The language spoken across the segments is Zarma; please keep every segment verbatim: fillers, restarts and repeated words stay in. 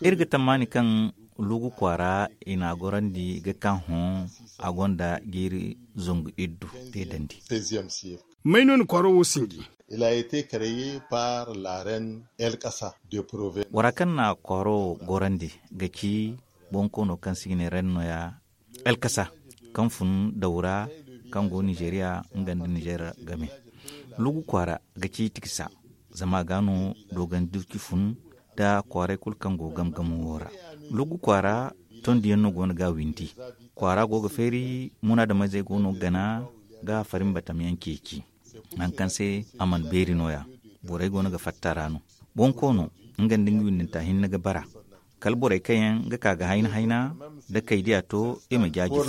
Iri ga tammaani kaŋ lugu kwaara i n'a gorandi ga ka hõ a gonda jiiri zangu iddu te dandi. May no na kwaaro wo sinji? Bora kaŋ na kwaaro gorandi ga ci bonkoono kaŋ se i ga ne ren nooya. Alkasa kaŋ fun daw ra kaŋ go nizeeriya nga nda nizeer game. Lugu kwaara ga ci tikisa zama a ga no doogandi durci fun nda kwaaray kulu kaŋ go gam gamo wo ra. Lugu kwaara tondiyaŋ no go no ga a windi. Kwaara go ga feeri munaadamizey go no ga gana ga farin batam yaŋ ceeci. Nangu kaŋ se a mana beeri nooya borey go no ga fatta ra no. Bonkoono nga nda nga windinta hinne ga bara kala borey kaŋ yaŋ ga ka ga hayna hayna da kay diya to i ma jaaji fo.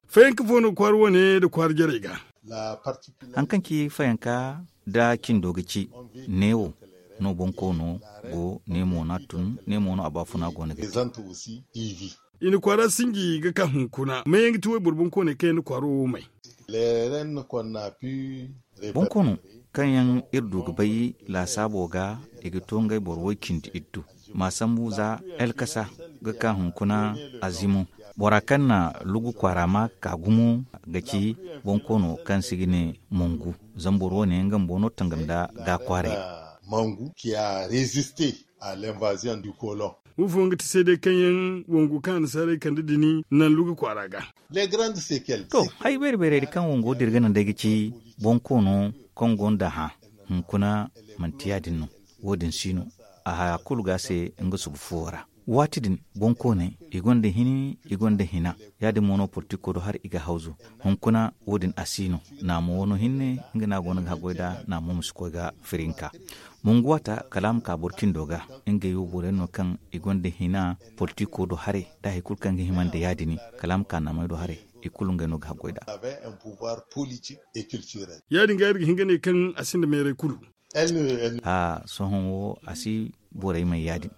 Fayanka fo no kwaara wane nda kwaara jarey ga? Haŋ kaŋ ci fayanka nda cindo ga ci neewo no bonkoono go neemo no a tun neemo no a baafuna go no ga ci. I na kwaara sinji ga ka hunkuna may yaŋ ga ti wayboro bonkooney kaŋ yaŋ na kwaaro wo may? Bonkoono kaŋ yaŋ iri du ga bay laasaabo ga i ga to ngey boro way cindi iddu ma sambu za alkasa ga ka hunkuna azimo. Bora kaŋ na lugu kwaara ma ka gumo ga ci bonkoono kaŋ se i ga ne mongu. Zama boro wo ne nga bumbo no tangam nda ga kwaaray. Mongu ki a reziste a lenvazion du kolon. Wo fo nga ti se day kaŋ yaŋ wangu kaŋ annasaarey kande dini naŋ lugu kwaara ga? To, hari beeri beerey din kaŋ wango dira ga naŋ day ga ci bonkoono kaŋ gonda hã hunkuna manti ya- din no. Wo- din si no a haya kulu ga se nga subu fuwo ra. Waati din bonkooney i gonda hini i gonda hina. Ya- din mo no politiko do hari i ga hawzu. Hunkuna wo- din a si no. Naamo wano hinne nga no a go no ga haggoy nd'a naamo ma si koy ga firinka. Mongu waata kala a ma ka boro cindo ga. Ngey wo boro yaŋ no kaŋ i gonda hina politiko do haray da hari kulu kaŋ ga hima nda ya- din kala a ma ka naamey do haray. I kulu ngey no ga haggoy nd'a. Ya- din ga iri ga hin ga ne kaŋ a sinda meeray kulu. Haa sohõ wo a si borey may ya- din.